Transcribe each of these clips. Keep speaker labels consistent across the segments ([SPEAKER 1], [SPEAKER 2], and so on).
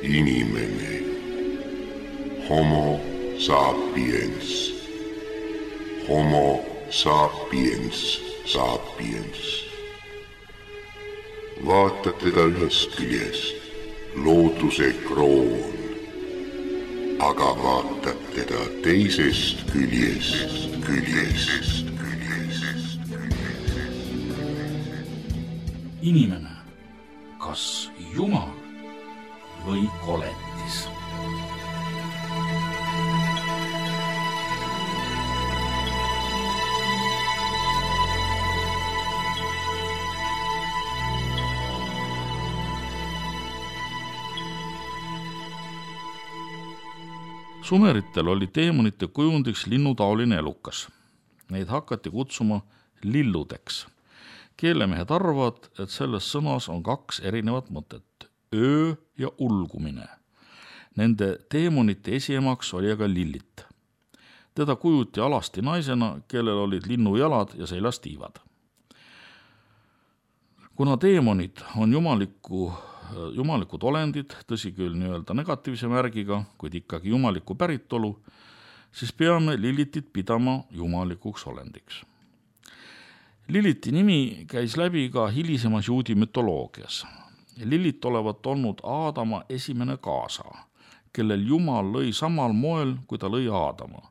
[SPEAKER 1] Inimene. Homo sapiens. Homo sapiens sapiens. Vaata teda ühest küljest, looduse kroon, aga vaatad teda teisest küljest.
[SPEAKER 2] Inimene, kas Jumal või koletis? Sumeritel oli teemonite kujundiks linnutaoline elukas. Neid hakati kutsuma lilludeks. Keelemehed arvavad, et selles sõnas on 2 erinevat mõtet, öö ja ulgumine. Nende teemonite esiemaks oli aga Lillit. Teda kujuti alasti naisena, kellel olid linnujalad ja seljas tiivad. Kuna teemonid on jumalikud olendid, tõsi küll nii-öelda negatiivse märgiga, kuid ikkagi jumaliku päritolu, siis peame Lillitit pidama jumalikuks olendiks. Lilliti nimi käis läbi ka hilisemas juudi mütoloogias. Lillit olevat olnud Aadama esimene kaasa, kellel Jumal lõi samal moel, kui ta lõi Aadama.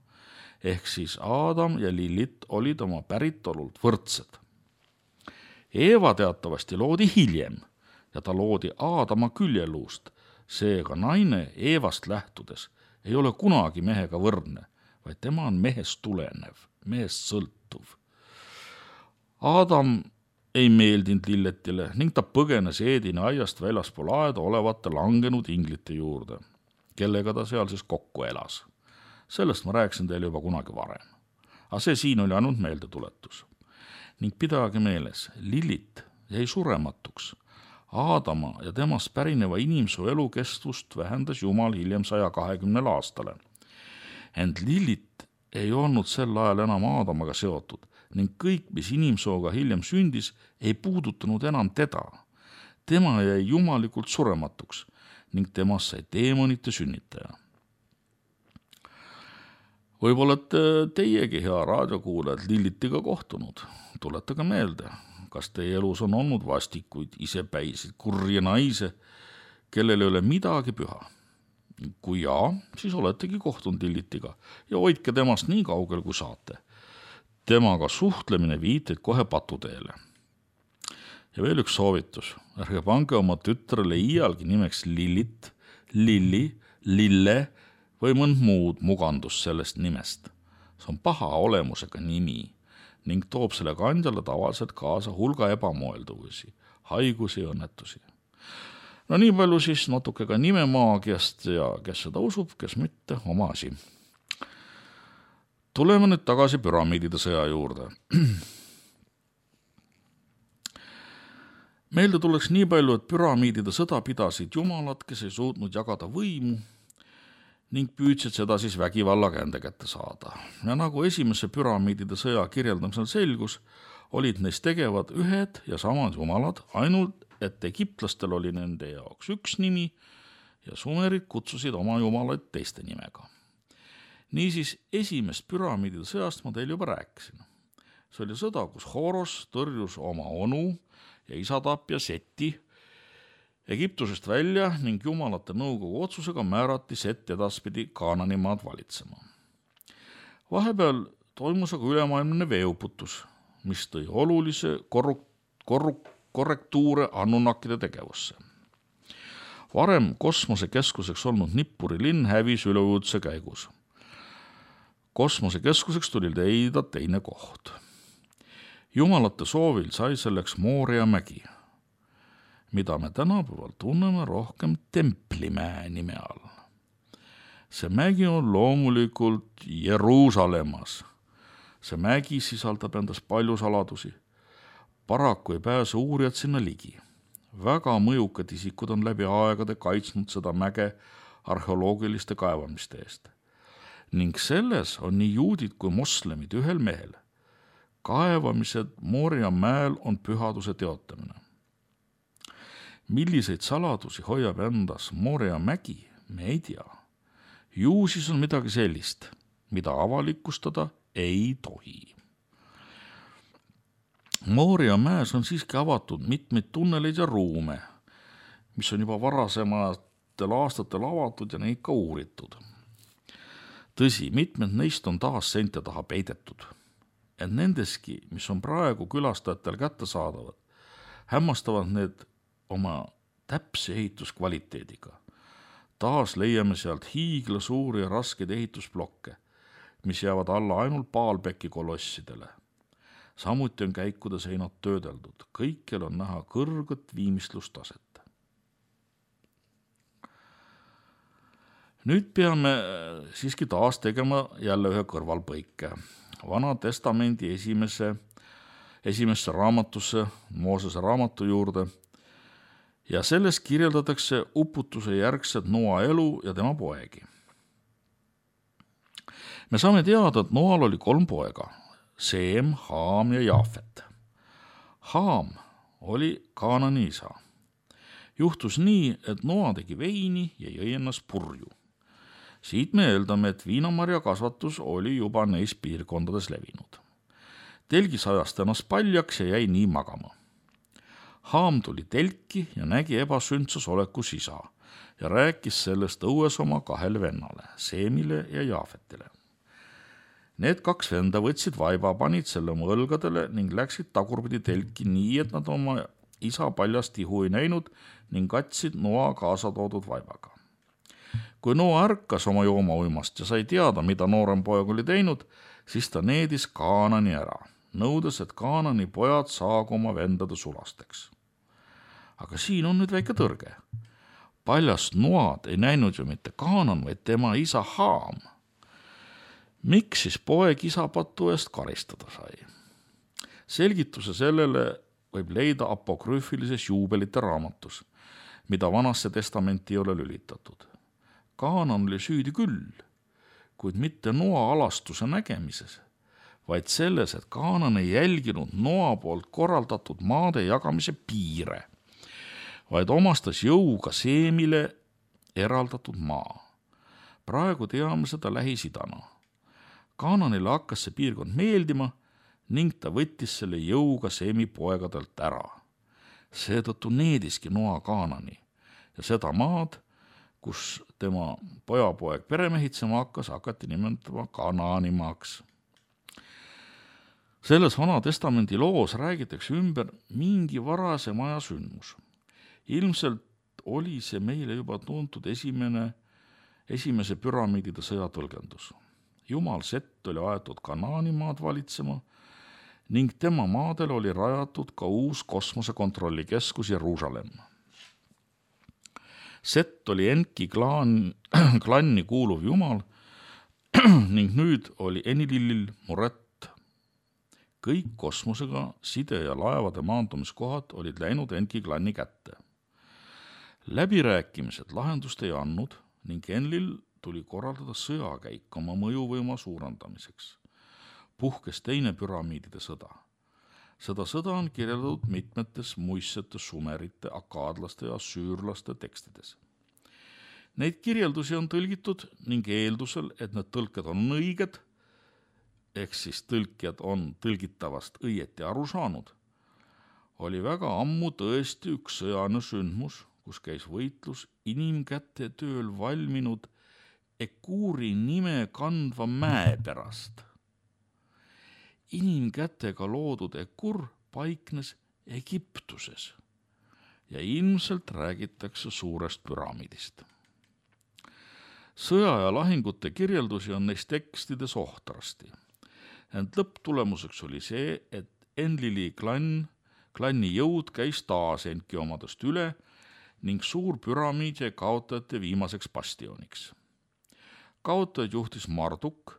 [SPEAKER 2] Ehk siis Aadam ja Lillit olid oma päritolult võrdsed. Eeva teatavasti loodi hiljem ja ta loodi Aadama küljeluust, seega naine Eevast lähtudes ei ole kunagi mehega võrdne, vaid tema on mehest tulenev, mehest sõltuv. Aadam ei meeldinud Lilletile ning ta põgenes Eedini aiast väljaspool aeda olevate langenud inglite juurde, kellega ta seal siis kokku elas. Sellest ma rääkisin teile juba kunagi varem. Aga see siin oli ainult meeldetuletus. Ning pidage meeles, Lillit jäi surematuks. Aadama ja temast pärineva inimsuu elukestvust vähendas Jumal hiljem 120 aastale. Ent Lillit ei olnud sel ajal enam Aadamaga seotud ning kõik, mis inimsooga hiljem sündis, ei puudutanud enam teda. Tema jäi jumalikult surematuks ning temast sai teemonite sünnitaja. Võib-olla teiegi, hea raadiokuulajad, Lillitiga kohtunud. Tuletage meelde, kas teie elus on olnud vastikuid, isepäisid, kurje naise, kellel ei ole midagi püha. Kui jaa, siis oletegi kohtunud Lillitiga ja hoidke temast nii kaugel, kui saate. Temaga suhtlemine viiteid kohe patuteele. Ja veel üks soovitus. Ärge pange oma tütrele iialgi nimeks Lillit, Lilli, Lille või mõnd muud mugandus sellest nimest. See on paha olemusega nimi ning toob selle kandjale tavaliselt kaasa hulga ebamoelduvusi, haigusi ja õnnetusi. No nii palju siis natuke ka nimemaagiast ja kes seda usub, kes mitte, oma asi. Tuleme nüüd tagasi püramiidide sõja juurde. Meelde tuleks nii palju, et püramiidide sõda pidasid jumalad, kes ei suutnud jagada võimu ning püüdsid seda siis vägivalla kände kätte saada. Ja nagu esimese püramiidide sõja kirjeldamisel selgus, olid neist tegevad ühed ja samad jumalad, ainult et egiptlastel oli nende jaoks üks nimi ja sumerid kutsusid oma jumalaid teiste nimega. Niisiis, esimest püramiidide sõjast ma teil juba rääkisin. See oli sõda, kus Horos tõrjus oma onu ja isatapja Seti Egiptusest välja ning jumalate nõukogu otsusega määrati Set edaspidi Kaananimaad valitsema. Vahepeal toimus aga ülemaailmne veeuputus, mis tõi olulise korrektuure Anunnakide tegevusse. Varem kosmosekeskuseks olnud Nippuri linn hävis üleujutuse käigus. Kosmosekeskuseks tuli leida teine koht. Jumalate soovil sai selleks Mooria mägi, mida me tänapäeval tunneme rohkem Templimäe nime all. See mägi on loomulikult Jeruusalemmas. See mägi sisaldab endas palju saladusi. Paraku ei pääse uurijad sinna ligi. Väga mõjukad isikud on läbi aegade kaitsnud seda mäge arheoloogiliste kaevamiste eest. Ning selles on nii juudid kui moslemid ühel mehel. Kaevamised Mooria mäel on pühaduse teotamine. Milliseid saladusi hoiab endas Moria mägi, me ei tea. Ju siis on midagi sellist, mida avalikustada ei tohi. Moria mäes on siiski avatud mitmeid tunneleid ja ruume, mis on juba varasematel aastatel avatud ja neid ka uuritud. Tõsi, mitmed neist on taas seinte taha peidetud, et nendeski, mis on praegu külastajatel kättesaadavad, hämmastavad need oma täpse ehituskvaliteediga. Taas leiame sealt hiigla suuri ja raskeid ehitusblokke, mis jäävad alla ainult Baalbeki kolossidele. Samuti on käikude seinad töödeldud, kõikjal on näha kõrget viimistlustaset. Nüüd peame siiski taas tegema jälle ühe kõrvalpõike. Vana testamendi esimesse raamatusse, Moosese raamatu juurde, ja selles kirjeldatakse uputuse järgset Noa elu ja tema poegi. Me saame teada, et Noal oli 3 poega, Seem, Haam ja Jaafet. Haam oli Kaanani isa. Juhtus nii, et Noa tegi veini ja jõi ennast purju. Siit me eeldame, et viinamarja kasvatus oli juba neis piirkondades levinud. Telgis ajas ennast paljaks ja jäi nii magama. Haam tuli telki ja nägi ebasündsas olekus isa ja rääkis sellest õues oma 2 vennale, Seemile ja Jaafetile. Need 2 venda võtsid vaiba, panid selle oma õlgadele ning läksid tagurpidi telki nii, et nad oma isa paljast ihu ei näinud ning katsid Noa kaasa toodud vaibaga. Kui Noa ärkas oma joomauimast ja sai teada, mida noorem poeg oli teinud, siis ta needis Kaanani ära, nõudes, et Kaanani pojad saagu oma vendade sulasteks. Aga siin on nüüd väike tõrge. Paljast Noad ei näinud ju mitte Kaanan, vaid tema isa Haam. Miks siis poeg isapatu eest karistada sai? Selgituse sellele võib leida apokrüüfilises juubelite raamatus, mida Vanasse testamenti ei ole lülitatud. Kaanan oli süüdi küll, kuid mitte Noa alastuse nägemises, vaid selles, et Kaanan ei jälginud Noa poolt korraldatud maade jagamise piire, vaid omastas jõuga Seemile eraldatud maa. Praegu teame seda Lähis-Idana. Kaananile hakkas see piirkond meeldima ning ta võttis selle jõuga Seemi poegadelt ära. Seetõttu neediski Noa Kaanani ja seda maad, kus tema pojapoeg peremehitsema hakkas, hakati nimetama Kanaanimaaks. Selles Vana testamendi loos räägitakse ümber mingi varasem aja sündmus. Ilmselt oli see meile juba tuntud esimese püramiidide sõja tõlgendus. Jumal Sett oli aetud Kanaanimaad valitsema ning tema maadel oli rajatud ka uus kosmosekontrollikeskus Jeruusalemm. Sett oli Enki klanni kuuluv jumal ning nüüd oli Enlilil muret. Kõik kosmosega side ja laevade maandumiskohad olid läinud Enki klanni kätte. Läbirääkimised lahendust ei andnud ning Enlil tuli korraldada sõjakäik oma mõjuvõima suurendamiseks. Puhkes teine püramiidide sõda. Seda sõda on kirjeldatud mitmetes muistsete sumerite, akaadlaste ja süürlaste tekstides. Neid kirjeldusi on tõlgitud ning eeldusel, et need tõlked on õiged, ehk siis tõlkijad on tõlgitavast õieti aru saanud, oli väga ammu tõesti üks sõjane sündmus, kus käis võitlus inimkäte tööl valminud Ekuuri nime kandva mäe pärast. Inimkätega loodud Ekur paiknes Egiptuses ja ilmselt räägitakse suurest püramiidist. Sõja ja lahingute kirjeldusi on neis tekstides ohtrasti, ent lõpptulemuseks oli see, et Enlili klanni jõud käis taas Enki omadest üle ning suur püramiid jäi kaotajate viimaseks bastioniks. Kaotajad juhtis Marduk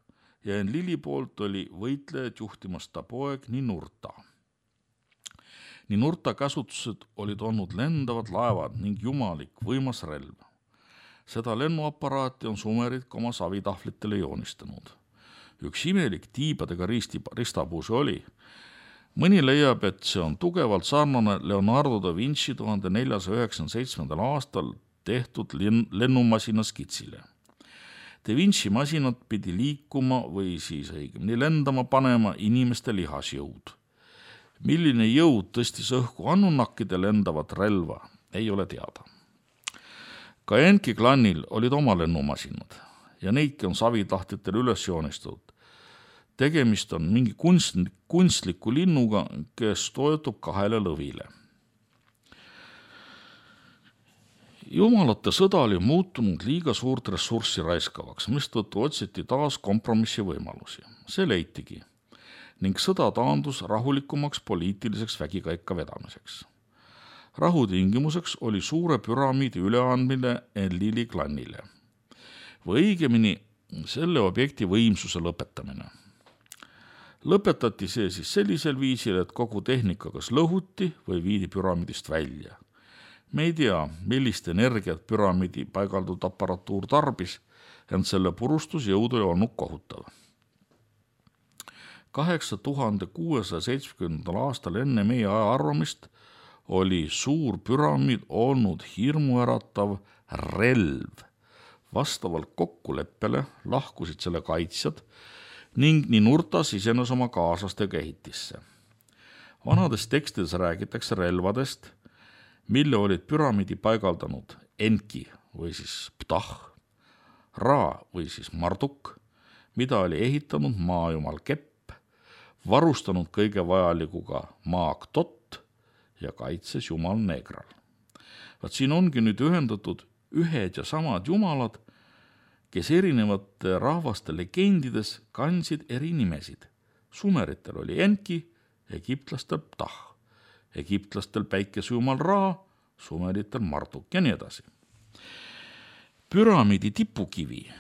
[SPEAKER 2] ja Enlili poolt oli võitlejad juhtimas ta poeg Ninurta. Ninurta käsutused olid olnud lendavad laevad ning jumalik võimas relv. Seda lennuaparaati on sumerid ka oma savitahvlitele joonistanud. Üks imelik tiibadega ristapuu see oli. Mõni leiab, et see on tugevalt sarnane Leonardo da Vinci 1497. aastal tehtud lennumasina skitsile. Da Vinci masinat pidi liikuma või siis õigemini lendama panema inimeste lihasjõud. Milline jõud tõstis õhku annunakkide lendavat relva, ei ole teada. Ka Enki klannil olid oma lennumasinad ja neidki on savitahtjatel üles joonistatud. Tegemist on mingi kunstliku linnuga, kes toetub 2 lõvile. Jumalate sõda oli muutunud liiga suurt ressurssi raiskavaks, mistõttu otsiti taas kompromissi võimalusi. See leitigi ning sõda taandus rahulikumaks poliitiliseks vägikaika vedamiseks. Rahutingimuseks oli suure püramiidi üleandmine Enlili klannile või õigemini selle objekti võimsuse lõpetamine. Lõpetati see siis sellisel viisil, et kogu tehnika kas lõhuti või viidi püramiidist välja. Me ei tea, millist energiat püramiidi paigaldud aparatuur tarbis, ent selle purustusjõud oli olnud kohutav. 8670. aastal enne meie aja arvamist oli suur püramiid olnud hirmuäratav relv. Vastavalt kokkuleppele lahkusid selle kaitsjad ning Ninurta sisenes oma kaaslastega ehitisse. Vanades tekstides räägitakse relvadest, mille olid püramiidi paigaldanud Enki või siis Ptah, Ra või siis Marduk, mida oli ehitanud maajumal Kepp, varustanud kõige vajalikuga maag Tot ja kaitses jumal Negral. Vaat siin ongi nüüd ühendatud ühed ja samad jumalad, kes erinevate rahvaste legendides kandsid eri nimesid. Sumeritel oli Enki, egiptlastel Ptah, egiptlastel päikesejumal Ra, sumeritel Marduk ja nii edasi. Püramiidi tipukivi,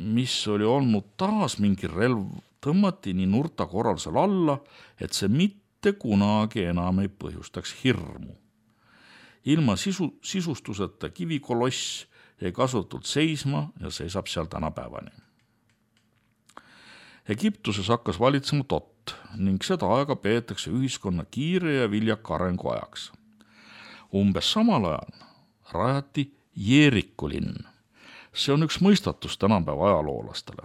[SPEAKER 2] mis oli olnud taas mingi relv, tõmmati Ninurta korraldusel alla, et see mitte kunagi enam ei põhjustaks hirmu. Ilma sisustuseta kivikoloss jäi kasutult seisma ja seisab seal tänapäevani. Egiptuses hakkas valitsema Tot ning seda aega peetakse ühiskonna kiire ja viljaka arengu ajaks. Umbes samal ajal rajati Jeeriku linn. See on üks mõistatus tänapäeva ajaloolastele.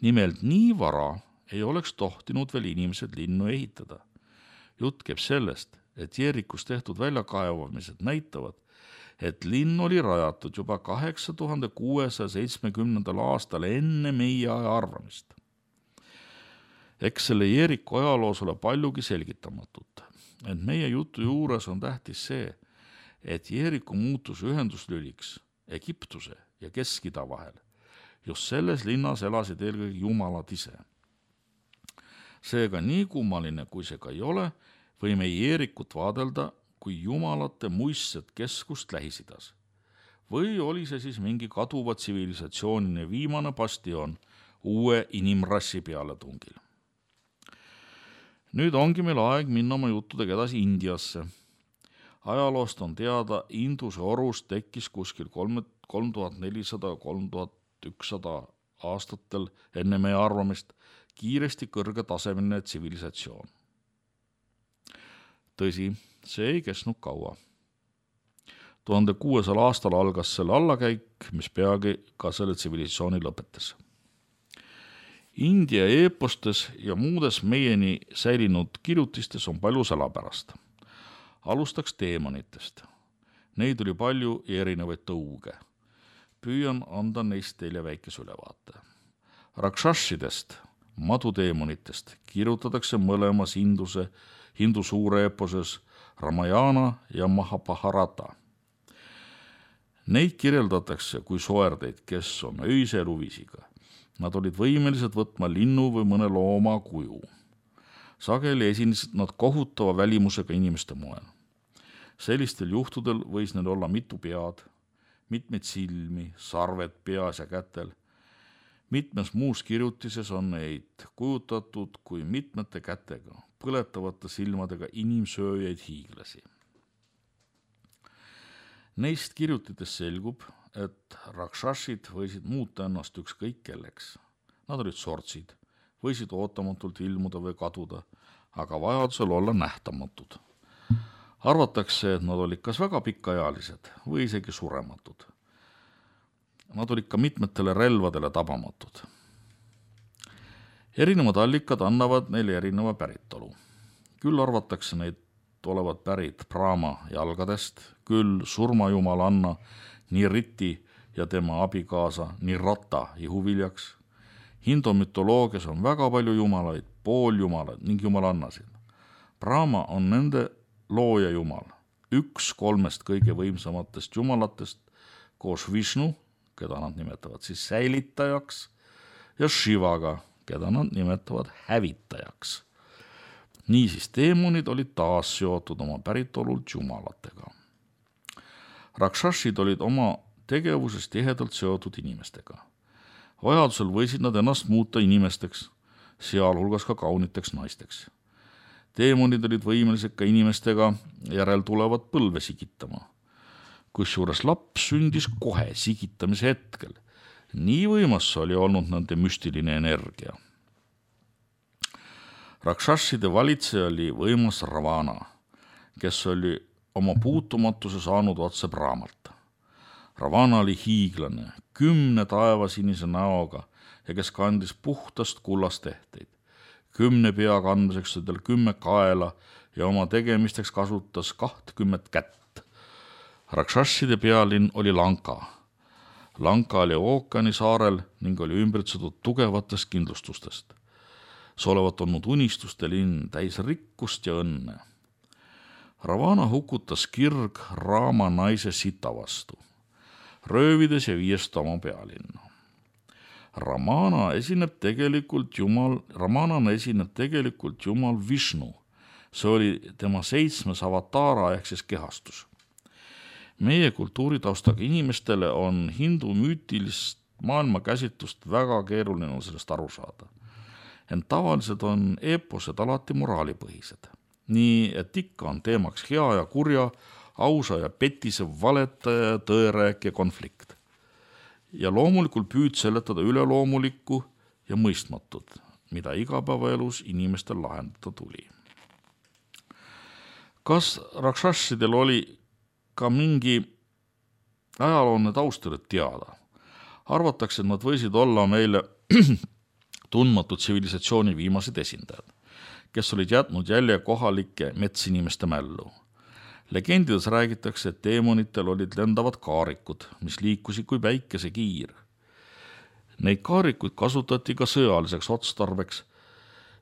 [SPEAKER 2] Nimelt nii vara ei oleks tohtinud veel inimesed linnu ehitada. Jutt käib sellest, et Jeerikus tehtud väljakaevamised näitavad, et linn oli rajatud juba 8670. aastal enne meie aja arvamist. Eks selle Jeeriku ajaloos ole paljugi selgitamatut, ent meie jutu juures on tähtis see, et Jeeriku muutus ühenduslüliks Egiptuse ja Kesk-Ida vahel. Just selles linnas elasid eelkõige jumalad ise. Seega nii kummaline, kui see ka ei ole, võime Jeerikut vaadelda kui jumalate muistset keskust Lähis-Idas. Või oli see siis mingi kaduva tsivilisatsioonine viimane bastion uue inimrassi pealetungil. Nüüd ongi meil aeg minna oma juttudega edasi Indiasse. Ajaloost on teada, Induse orus tekkis kuskil 3400-3100 aastatel enne meie arvamist kiiresti kõrgetasemeline tsivilisatsioon. Tõsi, see ei kesnud kaua. 1600 aastal algas selle allakäik, mis peagi ka selle tsivilisatsiooni lõpetas. India eepostes ja muudes meieni säilinud kirjutistes on palju salapärast. Alustaks teemonitest. Neid oli palju ja erinevaid tõuge. Püüan anda neist teile väikese ülevaate. Rakshashidest, maduteemonitest kirjutatakse mõlemas hindu suure eeposes Ramayana ja Mahabharata. Neid kirjeldatakse kui soerdeid, kes on öise eluvisiga. Nad olid võimelised võtma linnu või mõne looma kuju. Sageli esinesid nad kohutava välimusega inimeste moel. Sellistel juhtudel võis neil olla mitu pead, mitmeid silmi, sarved peas ja kätel. Mitmes muus kirjutises on neid kujutatud kui mitmete kätega, põletavate silmadega inimsööjaid hiiglasi. Neist kirjutitest selgub, et rakshashid võisid muuta ennast ükskõik kelleks. Nad olid sortsid, võisid ootamatult ilmuda või kaduda, aga vajadusel olla nähtamatud. Arvatakse, et nad olid kas väga pikaealised või isegi surematud. Nad olid ka mitmetele relvadele tabamatud. Erinevad allikad annavad neile erineva päritolu. Küll arvatakse neid olevat pärit Brahma jalgadest, küll surmajumalanna Niriti ja tema abikaasa Nirata ihuviljaks. Hindu mütoloogias on väga palju jumalaid, pooljumalad ning jumalannasid. Brahma on nende looja jumal, 1 3 kõige võimsamatest jumalatest koos Vishnu, keda nad nimetavad siis säilitajaks, ja Shivaga, keda nad nimetavad hävitajaks. Niisiis teemonid olid taas seotud oma päritolult jumalatega. Rakshashid olid oma tegevuses tihedalt seotud inimestega. Vajadusel võisid nad ennast muuta inimesteks, sealhulgas ka kauniteks naisteks. Teemonid olid võimelised ka inimestega järeltulevat põlve sigitama. Kusjuures laps sündis kohe sigitamise hetkel. Nii võimas oli olnud nende müstiline energia. Rakshashide valitseja oli võimas Ravana, kes oli oma puutumatuse saanud otse Brahmalt. Ravana oli hiiglane, 10 taevasinise näoga ja kes kandis puhtast kullast tehteid. 10 pea kandmiseks oli tal 10 kaela ja oma tegemisteks kasutas 20 kätt. Rakshashide pealinn oli Lanka. Lanka oli ookeani saarel ning oli ümbritsetud tugevatest kindlustustest. See olevat olnud unistuste linn täis rikkust ja õnne. Ravana hukutas kirg Raama naise Sita vastu, röövides ja viies ta oma pealinna. Ramanana esineb tegelikult jumal Vishnu. See oli tema 7. avataara ehk siis kehastus. Meie kultuuritaustaga inimestele on hindu müütilist maailmakäsitlust väga keeruline sellest aru saada. Ent tavaliselt on eeposed alati moraalipõhised. Nii, et ikka on teemaks hea ja kurja, ausa ja petise valetaja ja tõerääkija konflikt. Ja loomulikult püüd seletada üleloomulikku ja mõistmatut, mida igapäevaelus inimestel lahendada tuli. Kas Rakshashidel oli ka mingi ajalooline taustal teada? Arvatakse, et nad võisid olla meile tundmatud tsivilisatsiooni viimased esindajad, kes olid jätnud jälje kohalike metsinimeste mällu. Legendides räägitakse, et teemonitel olid lendavad kaarikud, mis liikusid kui päikesekiir. Neid kaarikuid kasutati ka sõjaliseks otstarbeks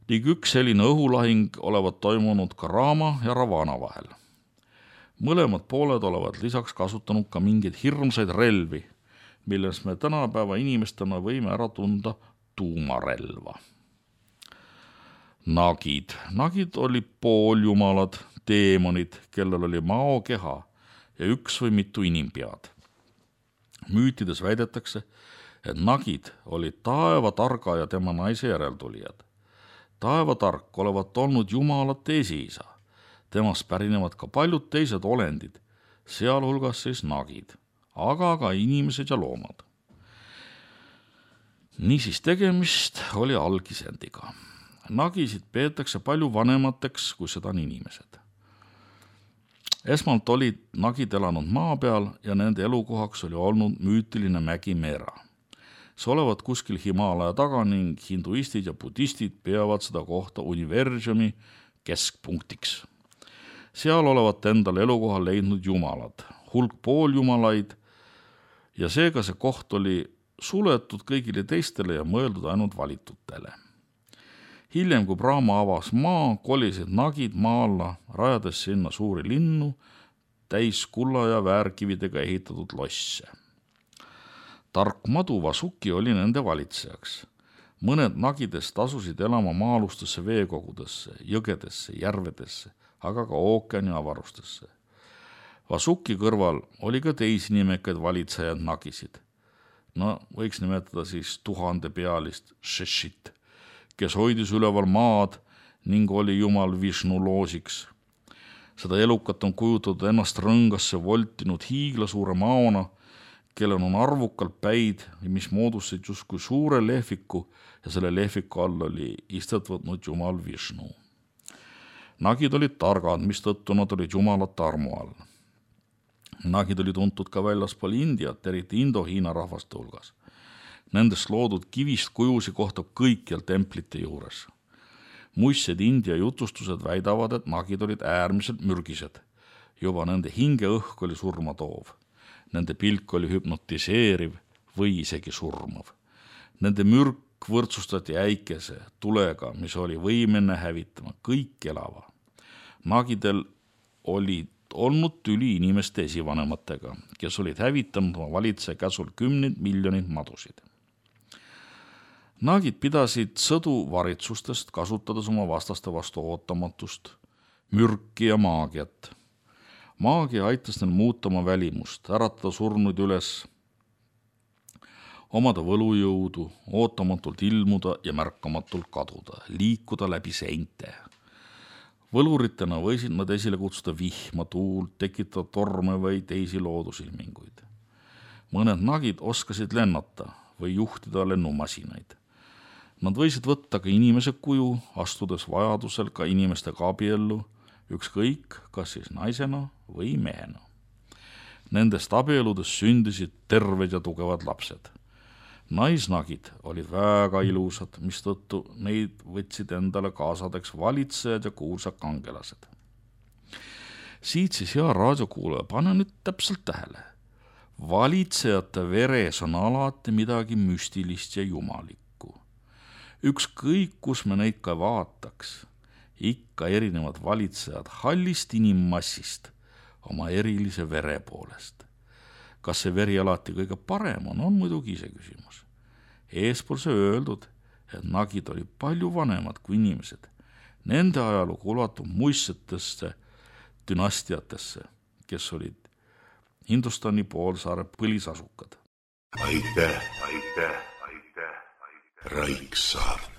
[SPEAKER 2] ning üks selline õhulahing olevat toimunud ka Rama ja Ravana vahel. Mõlemad pooled olevat lisaks kasutanud ka mingeid hirmsaid relvi, milles me tänapäeva inimestena võime ära tunda tuumarelva. Nagid oli pooljumalad, teemonid, kellel oli mao keha ja 1 või mitu inimpead. Müütides väidetakse, et nagid olid taevatarga ja tema naise järeltulijad. Taevatark olevat olnud jumalate esiisa. Temast pärinevad ka paljud teised olendid, sealhulgas siis nagid, aga ka inimesed ja loomad. Niisiis tegemist oli algisendiga. Nagisid peetakse palju vanemateks, kui seda on inimesed. Esmalt olid nagid elanud maa peal ja nende elukohaks oli olnud müütiline mägi Mera. See olevat kuskil Himalaja taga ning hinduistid ja budistid peavad seda kohta universumi keskpunktiks. Seal olevat endal elukohal leidnud jumalad, hulk pooljumalaid ja seega see koht oli suletud kõigile teistele ja mõeldud ainult valitutele. Hiljem, kui Brahma avas maa, kolisid nagid maa alla, rajades sinna suuri linnu, täis kulla ja väärkividega ehitatud losse. Tark madu Vasuki oli nende valitsejaks. Mõned nagidest asusid elama maalustesse veekogudesse, jõgedesse, järvedesse, aga ka ookeani avarustesse. Vasuki kõrval oli ka teisi nimekaid valitsejad nagisid. Võiks nimetada siis 1000-pealist Sheshit, kes hoidis üleval maad ning oli jumal Vishnu loosiks. Seda elukat on kujutatud ennast rõngasse voltinud hiiglasuure maona, kellel on arvukalt päid, mis moodustasid justkui suure lehviku ja selle lehviku all oli istet võtnud jumal Vishnu. Nagid olid targad, mistõttu nad olid jumalate armu all. Nagid oli tuntud ka väljaspool Indiat, eriti Indo-Hiina rahvaste hulgas. Nendest loodud kivist kujusi kohtab kõikjal templite juures. Muistsed India jutustused väidavad, et nagid olid äärmiselt mürgised. Juba nende hingeõhk oli surmatoov. Nende pilk oli hüpnotiseeriv või isegi surmav. Nende mürk võrdsustati äikese tulega, mis oli võimene hävitama kõik elava. Nagidel olid olnud tüli inimeste esivanematega, kes olid hävitanud oma valitseja käsul 10 miljonit madusid. Nagid pidasid sõdu varitsustest, kasutades oma vastaste vastu ootamatust, mürki ja maagiat. Maagia aitas neil muuta oma välimust, äratada surnuid üles, omada võlujõudu, ootamatult ilmuda ja märkamatult kaduda, liikuda läbi seinte. Võluritena võisid nad esile kutsuda vihma, tuult, tekitada torme või teisi loodusilminguid. Mõned nagid oskasid lennata või juhtida lennumasinaid. Nad võisid võtta ka inimese kuju, astudes vajadusel ka inimestega abiellu, ükskõik, kas siis naisena või mehena. Nendest abieludes sündisid terved ja tugevad lapsed. Naisnagid olid väga ilusad, mistõttu neid võtsid endale kaasadeks valitsejad ja kuulsad kangelased. Siit siis hea raadiokuulaja, pane nüüd täpselt tähele. Valitsejate veres on alati midagi müstilist ja jumalikku. Ükskõik, kus me neid ka vaataks, ikka erinevad valitsejad hallist inimmassist oma erilise vere poolest. Kas see veri alati kõige parem on muidugi ise küsimus. Eespool see öeldud, et nagid oli palju vanemad kui inimesed. Nende ajalugu ulatub muistsetesse dünastiatesse, kes olid Hindustani poolsaare põlisasukad.
[SPEAKER 1] Aitäh. Raiksaart.